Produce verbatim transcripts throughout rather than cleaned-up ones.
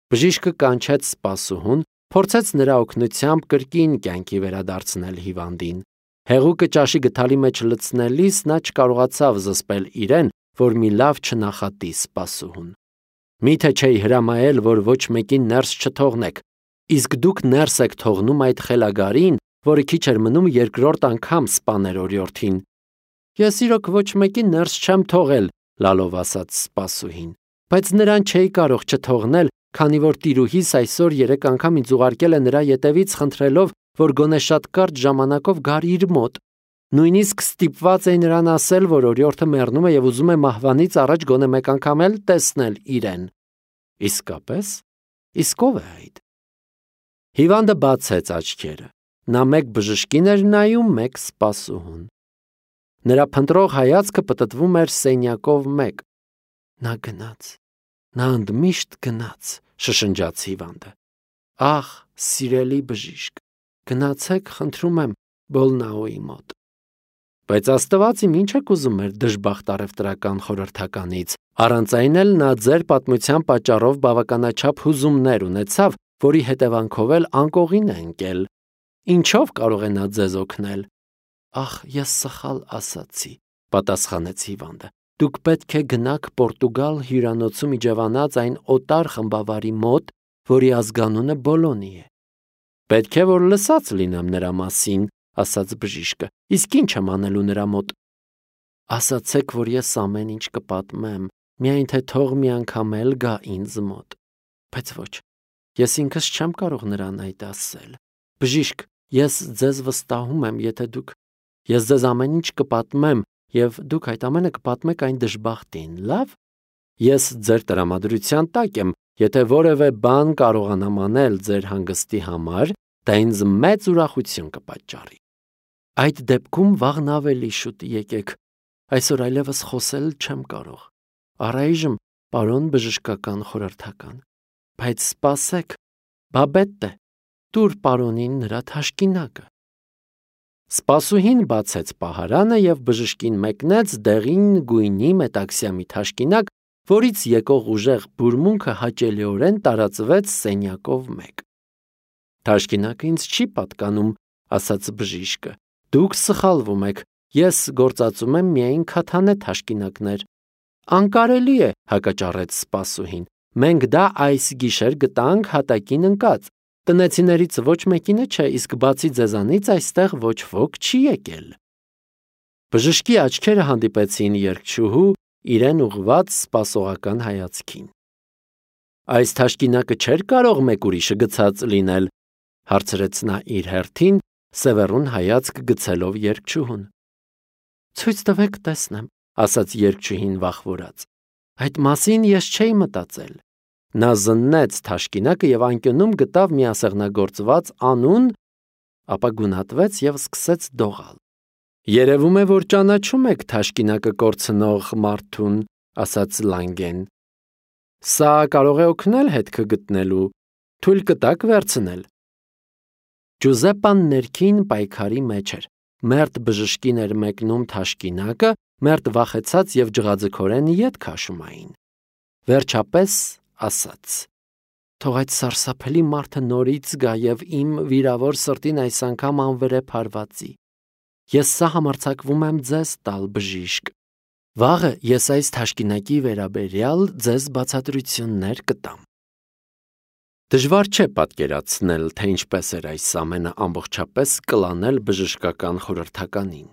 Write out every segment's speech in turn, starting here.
Բժիշկը կանչեց սպասուհուն, փորձեց նրա օգնությամբ կրկին կյանքի վերադարձնել հիվանդին։ Հեղուկը ճաշի գդալի մեջ լցնելիս նա չկարողացավ զսպել իրեն, որ մի լավ չնախատի սպասուհուն։ Միթե չէի հրամայել, որ ոչ մեկին ներս չթողնեք, իսկ դուք ներս եք թողնում այդ խելագարին, որը քիչ էր մնում երկրորդ անգամ սպաներ օրիորդին։ Ես իրոք ոչ մեկին ներս չեմ թողել, լալով ասաց սպասուհին, բայց նրան չէի կարող չթողնել, քանի որ տիրուհիս այսօր երեք անգամ ինձ ուղարկել է նրա ետևից խնդրելով, որ գոնե շատ կարճ ժամանակով գար իր մոտ։ Նույնիսկ ստիպված էի նրան ասել, որ օրիորդը մեռնում է եւ ուզում է մահվանից առաջ գոնե մեկ անգամ էլ տեսնել իրեն։ Իսկապես, իսկ ով է այդ։ Հիվանդը բացեց աչքերը։ Նա մեկ բժշկին էր նայում, մեկ սպասուհուն։ Նրա փնտրող հայացքը պտտվում էր սենյակով մեկ։ Նա գնաց, նա ընդմիշտ գնաց, շշնջաց հիվանդը։ Ախ, սիրելի բժիշկ, գնացեք, խնդրում եմ, Բոլնաուի մոտ։ Բայց Աստված իմ ինչ եք ուզում մեր դժբախտ առևտրական խորհրդականից, առանց այն էլ նա ձեր պատմության պատճառով բավականաչափ հուզումներ ունեցավ, որի հետևանքով էլ անկողին է ընկել։ Ինչով կարող է նա ձեզ օգնել։ Ախ, ես սխալ ասացի, պատասխանեց հիվանդը։ Դուք պետք է գնաք Պորտուգալ հյուրանոցում իջևանած այն օտար խմբավարի մոտ, որի ազգանունը Բոլոնի է։ Պետք է որ լսած լինեմ նրա մասին, ասաց բժիշկը, իսկ ինչ եմ անելու նրա մոտ։ Ասացեք, որ ես ամեն ինչ կպատմեմ, միայն թե թող մի անգամ էլ գա ինձ մոտ։ Բայց ոչ, ես ինքս չեմ կարող նրան այդ ասել։ Բժիշկ, ես ձեզ վստահում եմ, եթե դուք, ես ձեզ ամեն ինչ կպատմեմ, եւ դուք այդ ամենը կպատմեք այն դժբախտին, լավ։ Ես ձեր տրամադրության տակ եմ, եթե որևէ բան կարողանամ անել ձեր հանգստի համար, դա ինձ մեծ ուրախություն կպատճառի։ Այդ դեպքում վաղն ավելի շուտ եկեք, այսօր այլևս խոսել չեմ կարող։ Առայժմ, պարոն բժշկական խորհրդական, բայց սպասեք, բաբետտե, տուր պարոնին նրա թաշկինակը։ Սպասուհին բացեց պահարանը եւ բժշկին մեկնեց դեղին գույնի մետաքսյամի թաշկինակ, որից եկող ուժեղ բուրմունքը հաճելիորեն տարածվեց սենյակով մեկ։ Թաշկինակը ինձ չի պատկանում, ասաց բժիշկը։ Դուք սխալվում եք, ես գործածում եմ միայն քաթանե թաշկինակներ։ Անկարելի է, հակաճառեց սպասուհին։ Մենք դա այս գիշեր գտանք հատակին ընկած։ Տնեցիներից ոչ մեկինը չէ, իսկ բացի ձեզանից այստեղ ոչ ոք չի եկել։ Բժշկի աչքերը հանդիպեցին երգչուհու իրեն ուղված սպասողական հայացքին։ Այս թաշկինակը չէր կարող մեկ ուրիշը գցած լինել, հարցրեց նա իր հերթին, սևեռուն հայացք գցելով երգչուհուն։ Ցույց տվեք տեսնեմ, ասաց երգչուհին վախվորած։ Այդ մասին ես չէի մտածել։ Նա զննեց թաշկինակը եւ անկյունում գտավ մի ասեղնագործված անուն, ապա գունատվեց եւ սկսեց դողալ։ Երևում է, որ ճանաչում եք թաշկինակը կորցնող մարդուն, ասաց Լանգեն։ Սա կարող է օգնել հետքը գտնելու, թույլ կտակ վերցնել։ Ջուզեպպան ներքին պայքարի մեջ էր։ Մերթ բժշկին էր մեկնում թաշկինակը, մերթ վախեցած եւ ջղաձգորեն ետ քաշում էին։ Վերջապես ասաց. Թող այդ սարսափելի մարդը նորից գա եւ իմ վիրավոր սրտին այս անգամ անվրեպ հարվածի։ Ես սա համարձակվում եմ ձեզ տալ, բժիշկ։ Վաղը ես այս թաշկինակի վերաբերյալ ձեզ բացատրություններ կտամ։ Դժվար չէ պատկերացնել, թե ինչպես էր այս ամենը ամբողջապես կլանել բժշկական խորհրդականին։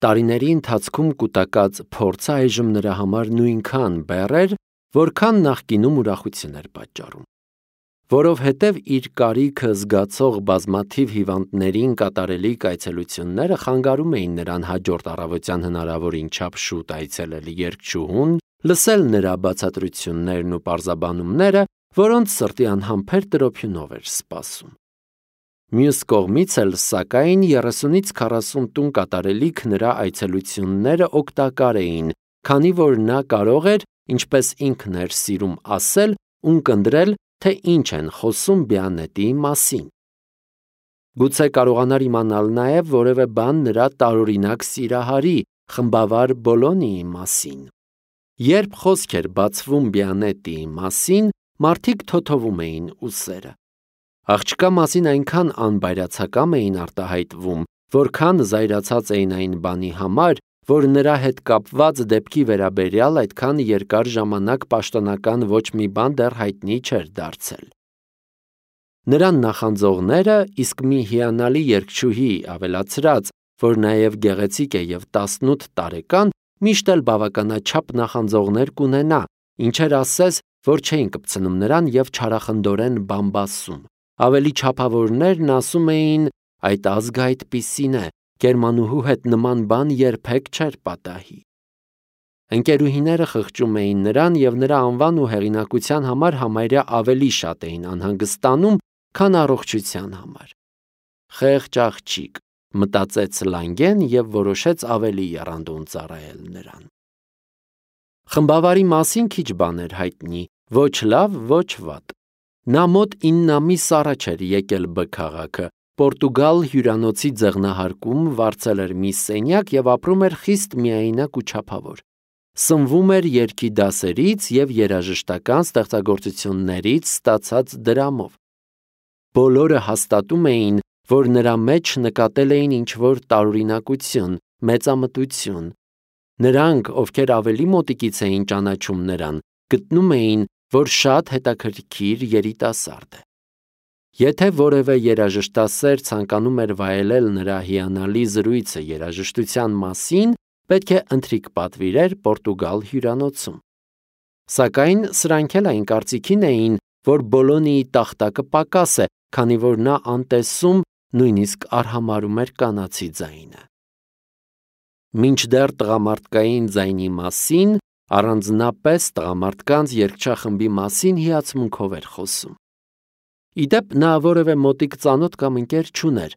Տարիների ընթացքում կուտակած փորձը այժմ նրա համար նույնքան բեռ էր, որքան նախկինում ուրախություն էր պատճառում։ Որովհետև իր կարիքը զգացող բազմաթիվ հիվանդներին կատարելիք այցելությունները խանգարում էին նրան հաջորդ առավոտյան հնարավորին չափ շուտ այցելել երգչուհուն, լսել նրա բացատրություններն ու պարզաբանումները, որոնց սրտի անհամբեր տրոփյունով էր սպասում։ Մյուս կողմից էլ, սակայն, երեսունից քառասուն տուն կատարելիք նրա այցելությունները օգտակար էին, քանի որ նա կարող էր, ինչպես ինքն էր սիրում ասել, ունկնդրել, թե ինչ են խոսում Բիանետի մասին։ Գուցե կարողանար իմանալ նաև որևէ բան նրա տարօրինակ սիրահարի, խմբավար Բոլոնիի մասին։ Երբ խոսք էր բացվում Բիանետի մասին, մարդիկ թոթովում էին ուսերը։ Աղջկա մասին այնքան անբայրացակամ էին արտահայտվում, որքան զայրացած էին այն բանի համար, որ նրա հետ կապված դեպքի վերաբերյալ այդքան երկար ժամանակ պաշտոնական ոչ մի բան դեռ հայտնի չէր դարձել։ Նրան նախանձողները իսկ մի հիանալի երգչուհի ավելացրած, որ նաև գեղեցիկ է և տասնութ տարեկան, միշտ էլ բավականաչափ նախանձողներ կունենա, ինչեր ասես, որ չէին կպցնում նրան և չարախնդորեն բամբասում։ Ավելի չափավորներն ասում էին, այդ ազգը այդպիսին է, գերմանուհու հետ նման բան երբեք չէր պատահի։ Ընկերուհիները խղճում էին նրան և նրա անվան ու հեղինակության համար համարյա ավելի շատ էին անհանգստանում, քան առողջության համար։ Խեղճ աղջիկ, մտածեց Լանգեն և որոշեց ավելի եռանդուն ծառայել նրան։ Խմբավարի մասին քիչ բան էր հայտնի, ոչ լավ, ոչ վատ։ Նա մոտ ինն ամիս առաջ էր եկել Բ քաղաքը, Պորտուգալ հյուրանոցի ձեղնահարկում վարձել էր մի սենյակ և ապրում էր խիստ միայնակ ու չափավոր։ Սնվում էր երգի դասերից և երաժշտական ստեղծագործություններից ստացած դրամով։ Բոլորը հաստատում էին, որ նրա մեջ նկատել էին ինչ-որ տարօրինակություն, մեծամտություն։ Նրանք, ովքեր ավելի մոտիկից էին ճանաչում նրան, գտնում էին, որ շատ հետաքրքիր երիտասարդ է։ Եթե որևէ երաժշտասեր ցանկանում էր վայելել նրա հիանալի զրույցը երաժշտության մասին, պետք է ընթրիք պատվիրեր Պորտուգալ հյուրանոցում։ Սակայն սրանք էլ այն կարծիքին էին, որ Բոլոնիի տախտակը պակաս է, քանի որ նա անտեսում, նույնիսկ արհամարհում էր կանացի ձայնը։ Մինչդեռ տղամարդկային ձայնի մասին, առանձնապես տղամարդկանց երգչախմբի մասին հիացմունքով էր խոսում։ Ի դեպ, նա որևէ մոտիկ ծանոթ կամ ընկեր չուներ։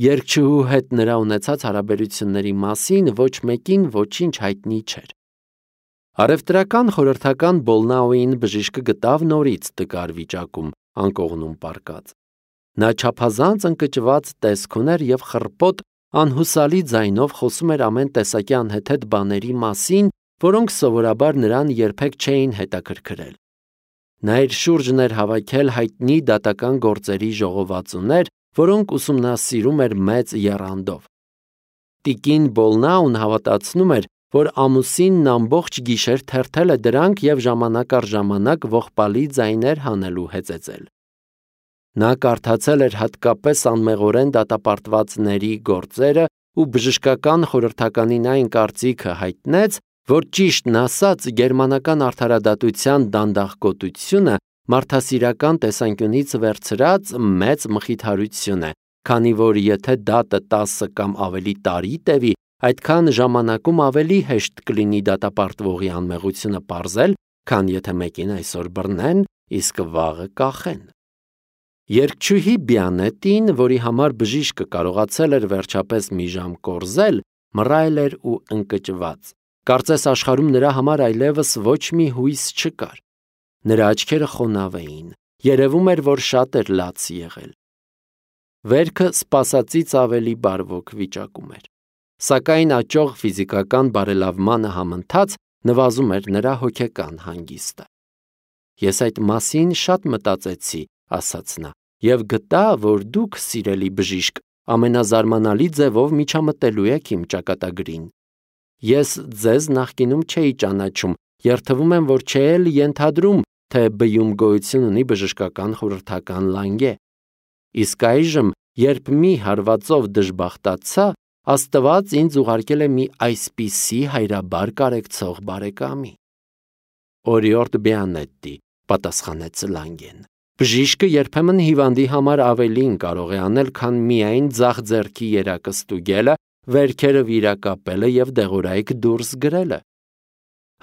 Երգչուհու հետ նրա ունեցած հարաբերությունների մասին ոչ մեկին ոչինչ հայտնի չէր։ Առևտրական խորհրդական Բոլնաուին բժիշկը գտավ նորից տկար վիճակում, անկողնում պառկած։ Նա չափազանց ընկճված տեսք ուներ և խռպոտ, անհուսալի ձայնով խոսում էր ամեն տեսակի անհեթեթ բաների մասին, որոնք սովորաբար նրան երբեք չէին հետաքրքրել։ Նա իր շուրջն էր հավաքել հայտնի դատական գործերի ժողովածուներ, որոնք ուսումնասիրում էր մեծ եռանդով։ Տիկին Բոլնաուն հավատացնում էր, որ ամուսինն ամբողջ գիշեր թերթել է դրանք և ժամանակ առ ժամանակ ողբալի ձայներ հանել ու հեծեծել։ Նա կարդացել էր հատկապես անմեղորեն դատապարտվածների գործերը ու բժշկական խորհրդականին այն կարծիքը հայտնեց, որ ճիշտն ասած գերմանական արդարադատության դանդաղկոտությունը մարդասիրական տեսանկյունից վերցրած մեծ մխիթարություն է, քանի որ եթե դատը տասը կամ ավելի տարի տևի, այդքան ժամանակում ավելի հեշտ կլինի դատապարտվողի անմեղությունը պարզել, քան եթե մեկին այսօր բռնեն, իսկ վաղը կախեն։ Երգչուհի Բիանետին, որի համար բժիշկը կարողացել էր վերջապես մի ժամ կորզել, մռայլ էր ու ընկճված։ Կարծես աշխարհում նրա համար այլևս ոչ մի հույս չկար։ Նրա աչքերը խոնավ էին, երևում էր, որ շատ էր լաց եղել։ Վերքը սպասածից ավելի բարվոք վիճակում էր։ Սակայն աճող ֆիզիկական բարելավմանը համընթաց նվազում էր նրա հոգեկան հանգիստը։ Ես այդ մասին շատ մտածեցի, ասաց նա, և գտա, որ դուք, սիրելի բժիշկ, ամենազարմանալի ձևով միջամտելու եք իմ ճակատագրին։ Ես ձեզ նախկինում չէի ճանաչում, երդվում եմ, որ չէի էլ ենթադրում, թե բյում գոյություն ունի բժշկական խորհրդական Լանգե։ Իսկ այժմ, երբ մի հարվածով դժբախտացա, Աստված ինձ ուղարկել է մի այսպիսի հայրաբար կարեկցող բարեկամի։ Օրիորդ Բիանետտի, պատասխանեց Լանգեն։ Բժիշկը երբեմն հիվանդի համար ավելին կարող է անել, քան միայն ձախ ձեռքի երակը ստուգելը, վերքերը վիրակապելը և դեղորայք դուրս գրելը։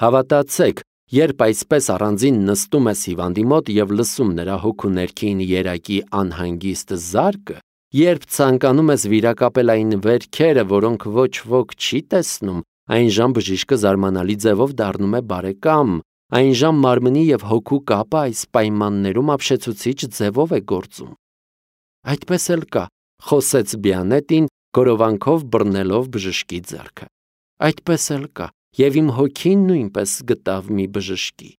Հավատացեք, երբ այսպես առանձին նստում ես հիվանդի մոտ և լսում նրա հոգու ներքին երակի անհանգիստ զարկը, երբ ցանկանում ես վիրակապել այն վերքերը, որոնք ոչ ոք չի տեսնում, այնժամ բժիշկը զարմանալի ձևով դառնում է բարեկամ, այնժամ մարմնի և հոգու կապը այս պայմաններում ապշեցուցիչ ձևով է գործում։ Այդպես էլ կա, խոսեց Բիանետին, գորովանքով բռնելով բժշկի ձեռքը։ Այդպես էլ կա, և իմ հոգին նույնպես գտավ մի բժշկի։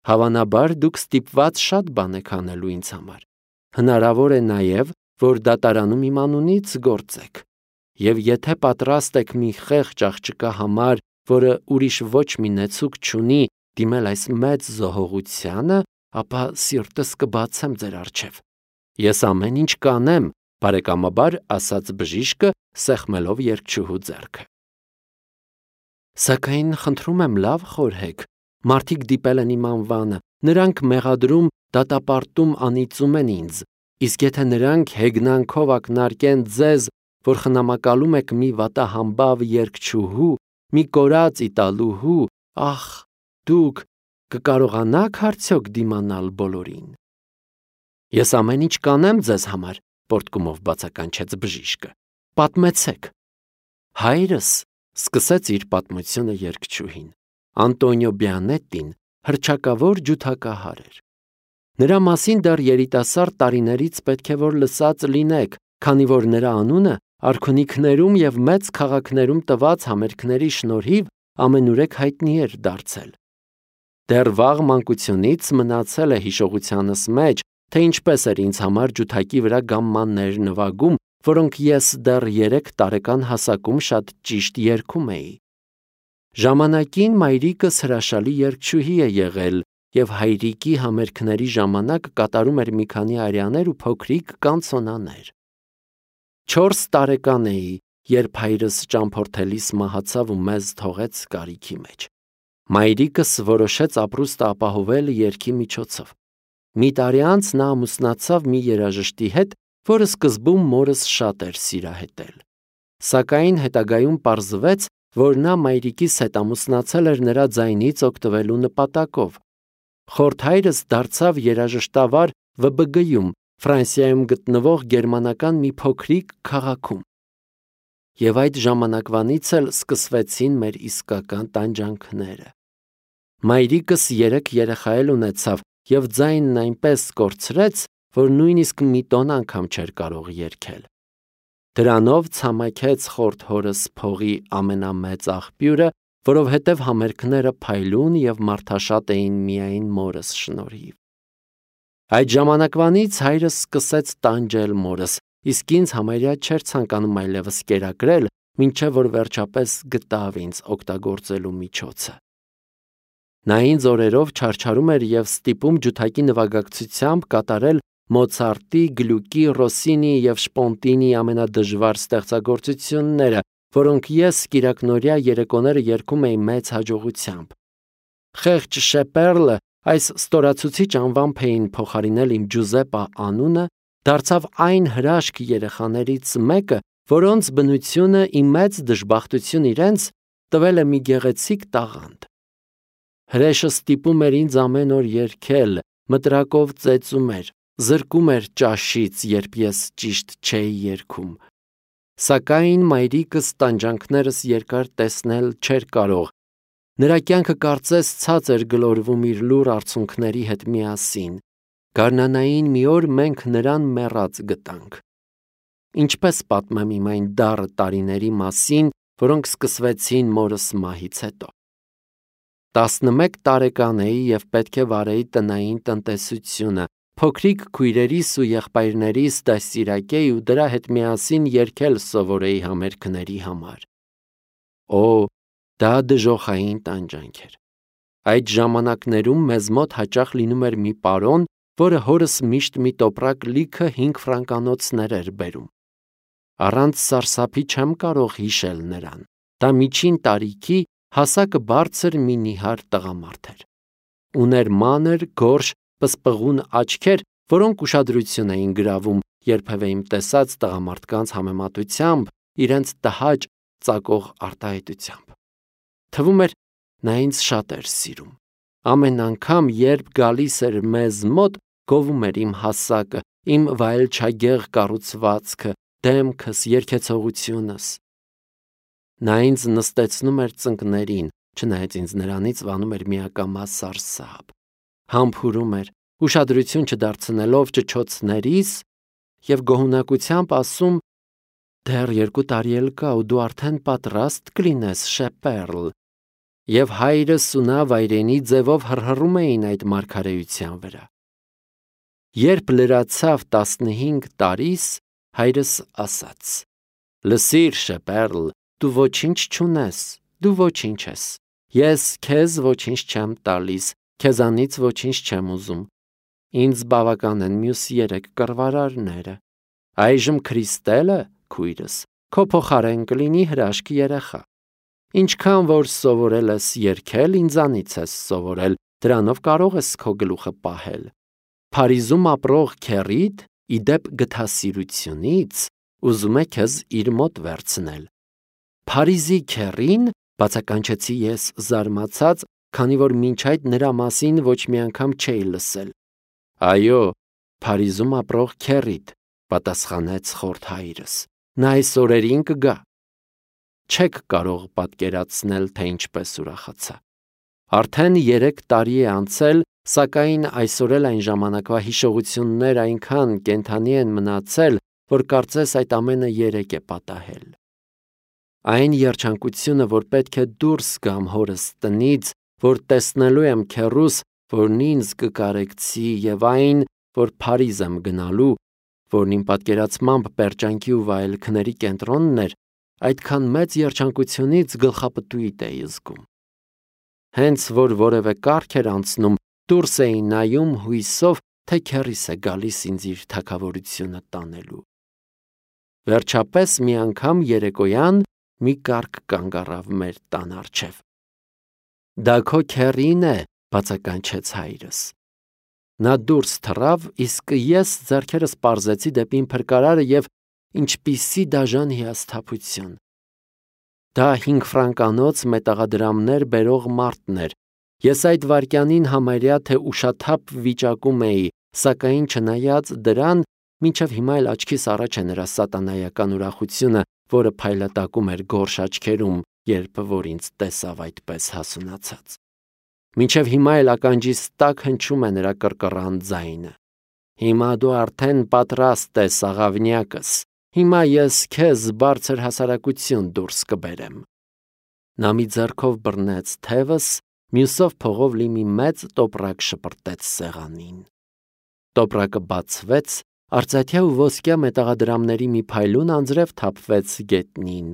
Հավանաբար դուք ստիպված շատ բան եք անելու ինձ համար։ Հնարավոր է նաև, որ դատարանում իմ անունից գործեք։ Եվ եթե պատրաստ եք մի խեղճ աղջկա համար, որը ուրիշ ոչ մի նեցուկ չունի, դիմել այս մեծ զոհողությանը, ապա սիրտս կբացեմ ձեր առջև։ Ես ամեն ինչ կանեմ, բարեկամաբար ասաց բժիշկը, սեղմելով երգչուհու ձեռքը։ Սակայն խնդրում եմ լավ խորհեք, մարդիկ դիպել են իմ անվանը, նրանք մեղադրում, դատապարտում անիծում են ինձ, իսկ եթե նրանք հեգնանքով ակնարկեն ձեզ, որ խնամակալում եք մի վատահամբավ երգչուհու, մի կորած իտալուհու, ախ, դուք կկարողանաք արդյոք դիմանալ բոլորին։ Ես ամեն ինչ կանեմ ձեզ համար, պոռթկումով բացականչեց բժիշկը։ Պատմեցեք։ Հայրս, սկսեց իր պատմությունը երգչուհին, Անտոնիո Բիանետին հռչակավոր ջութակահար էր։ Նրա մասին դեռ երիտասարդ տարիներից պետք է որ լսած լինեք, քանի որ նրա անունը արքունիքներում եւ մեծ քաղաքներում տված համերգների շնորհիվ ամենուրեք հայտնի էր դարձել։ Դեռ վաղ մանկությունից մնացել է հիշողությանս մեջ, թե ինչպես էր ինձ համար ջութակի վրա գամմաններ նվագում, որոնք ես դեռ երեք տարեկան հասակում շատ ճիշտ երգում էի։ Ժամանակին մայրիկս հրաշալի երգչուհի է եղել եւ հայրիկի համերգների ժամանակ կատարում էր մի քանի արյաներ ու փոքրիկ կանցոնաներ։ Չորս տարեկան էի, երբ հայրս ճամփորդելիս մահացավ ու մեզ թողեց կարիքի մեջ։ Մայրիկս որոշեց ապրուստը ապահովել երգի միջոցով։ Մի տարի անց նա ամուսնացավ մի երաժշտի հետ, որը սկզբում մորս շատ էր սիրահետել։ Սակայն հետագայում պարզվեց, որ նա մայրիկիս հետ ամուսնացել էր նրա ձայնից օգտվելու նպատակով։ Խորթայրս դարձավ երաժշտավար Վը Բը Գ-ում, Ֆրանսիայում գտնվող գերմանական մի փոքրիկ քաղաքում։ Եվ այդ ժամանակվանից էլ սկսվեցին մեր իսկական տանջանքները։ Մայրիկս երեք երեխա էլ ունեցավ եւ ձայնն այնպես կորցրեց, որ նույնիսկ մի տոն անգամ չէր կարող երգել։ Դրանով ցամաքեց խորթ հորս փողի ամենամեծ աղբյուրը, որովհետև համերգները փայլուն եւ մարդաշատ էին միայն մորս շնորհիվ։ Այդ ժամանակվանից հայրս սկսեց տանջել մորս, իսկ ինձ համարյա չէր ցանկանում այլևս կերակրել, մինչև որ վերջապես գտավ ինձ օգտագործելու միջոցը։ Նա ինձ օրերով չարչարում էր եւ ստիպում ջութակի նվագակցությամբ կատարել Մոցարտի, Գլյուկի, Ռոսինի եւ Շպոնտինի ամենադժվար ստեղծագործությունները, որոնք ես կիրակնօրյա երեկոները երգում էի մեծ հաջողությամբ։ Խեղճ Շեպերլը, այս ստորացուցիչ անվամբ էին փոխարինել իմ Ջուզեպպա անունը, դարձավ այն հրաշք երեխաներից մեկը, որոնց բնությունը իմ մեծ դժբախտություն իրենց տվել է մի գեղեցիկ տաղանդ։ Հրեշը ստիպում էր ինձ ամեն օր երգել, մտրակով ծեծում էր, զրկում էր ճաշից, երբ ես ճիշտ չէի երգում։ Սակայն մայրիկս տանջանքներս երկար տեսնել չէր կարող։ Նրա կյանքը կարծես ցած էր գլորվում իր լուռ արցունքների հետ միասին։ Գարնանային մի օր մենք նրան մեռած գտանք։ Ինչպես պատմեմ իմ այն դառը տարիների մասին, որոնք սկսվեցին մորս մահից հետո։ Տասնմեկ տարեկան էի եւ պետք է վարեի տնային տնտեսությունը, փոքրիկ քույրերիս ու եղբայրներիս դաստիարակեի ու դրա հետ միասին երգել սովորեի համերգների համար։ Օ, դա դժոխային տանջանք էր։ Այդ ժամանակներում մեզ մոտ հաճախ լինում էր մի պարոն, որը հորս միշտ մի տոպրակ լիքը հինգ ֆրանկանոցներ էր բերում։ Առանց սարսափի չեմ կարող հիշել նրան։ Դա միջին տարիքի հասակը բարձր մի նիհար տղամարդ էր։ Ուներ մանր, գորշ, պսպղուն աչքեր, որոնք ուշադրություն էին գրավում երբևէ իմ տեսած տղամարդկանց համեմատությամբ իրենց տհաճ ծակող արտահայտությամբ։ Թվում էր նա ինձ շատ էր սիրում։ Ամեն անգամ, երբ գալիս էր մեզ մոտ, գովում էր իմ հասակը, իմ վայելչագեղ կառուցվածքը, դեմքս, երգեցողությունս։ Նա ինձ նստեցնում էր ծնկներին, չնայած ինձ նրանից վանում էր միակամա սարսափ, համբուրում էր, ուշադրություն չդարձնելով ճչոցներիս եւ գոհունակությամբ ասում. «Դեռ երկու տարի էլ կա ու դու արդեն պատրաստ կլինես, Շեպերլ»։ Եվ հայրս ու նա վայրենի ձևով հռհռում էին այդ մարգարեության վրա։ Երբ լրացավ տասնհինգ տարիս, հայրս ասաց. «Լսիր, Շեպերլ, դու ոչինչ չունես, դու ոչինչ ես։ Ես քեզ ոչինչ չեմ տալիս, քեզանից ոչինչ չեմ ուզում։ Ինձ բավական են մյուս երեք կռվարարները։ Այժմ Քրիստելը, քույրս, քո փոխարեն կլինի հրաշքի երեխա։ Ինչքան որ սովորել ես երգել, ինձանից ես սովորել, դրանով կարող ես քո գլուխը պահել։ Փարիզում ապրող քեռիդ, ի դեպ գթասիրությունից, ուզում է քեզ իր մոտ վերցնել»։ Փարիզի քեռին, բացականչեցի ես զարմացած, քանի որ մինչ այդ նրա մասին ոչ մի անգամ չէի լսել։ «Այո, Փարիզում ապրող քեռիդ», պատասխանեց խորթ հայրս, նա այս օրերին կգա։ Չեք կարող պատկերացնել, թե ինչպես ուրախացա։ Արդեն երեք տարի է անցել, սակայն այսօր էլ այն ժամանակվա հիշողություններ այնքան կենդանի են մնացել, որ կարծես այդ ամենը երեկ է պատահել։ Այն երջանկությունը, որ պետք է դուրս գամ հորս տնից, որ տեսնելու եմ քեռուս, որն ինձ կկարեկցի, եւ այն, որ Փարիզ եմ գնալու, որն իմ պատկերացմամբ պերճանքի ու վայելքների կենտրոնն էր, այդքան մեծ երջանկությունից գլխապտույտ էի զգում։ Հենց որ որևէ կարգ էր անցնում, դուրս էի նայում հույսով, թե քեռիս է գալիս ինձ իր թագավորությունը տանելու։ Վերջապես մի անգամ երեկոյան մի կարգ կանգ առավ մեր տան առջև։ «Դա քո քեռին է», բացականչեց հայրս։ Նա դուրս թռավ, իսկ ես ձեռքերս պարզեցի դեպի իմ փրկարարը եւ ինչպիսի դաժան հիասթափություն։ Դա հինգ ֆրանկանոց մետաղադրամներ բերող մարդն էր։ Ես այդ վայրկյանին համարյա թե ուշաթափ վիճակում էի, սակայն չնայած դրան, մինչև հիմա էլ աչքիս առաջ է նրա սատանայական ուրախությունը, որը փայլատակում էր գորշ աչքերում, երբ որ ինձ տեսավ այդպես հասունացած։ Մինչև հիմա էլ ականջիս տակ հնչում է նրա կռկռան ձայնը։ «Հիմա դու արդեն պատրաստ ես, աղավնյակս, հիմա ես քեզ բարձր հասարակություն դուրս կբերեմ»։ Նա մի ձեռքով բռնեց թևս, մյուսով փողով լի մի մեծ տոպրակ շպրտեց սեղանին։ Տոպրակը բացվեց, արծաթյա ու ոսկյա մետաղադրամների մի փայլուն անձրև թափվեց գետնին։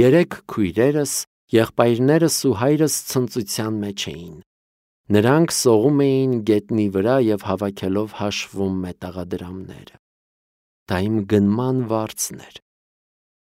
Երեք քույրերս, եղբայրներս ու հայրս ցնծության մեջ էին։ Նրանք սողում էին գետնի վրա և հավաքելով հաշվում մետաղադրամները։ Դա իմ գնման վարձն էր։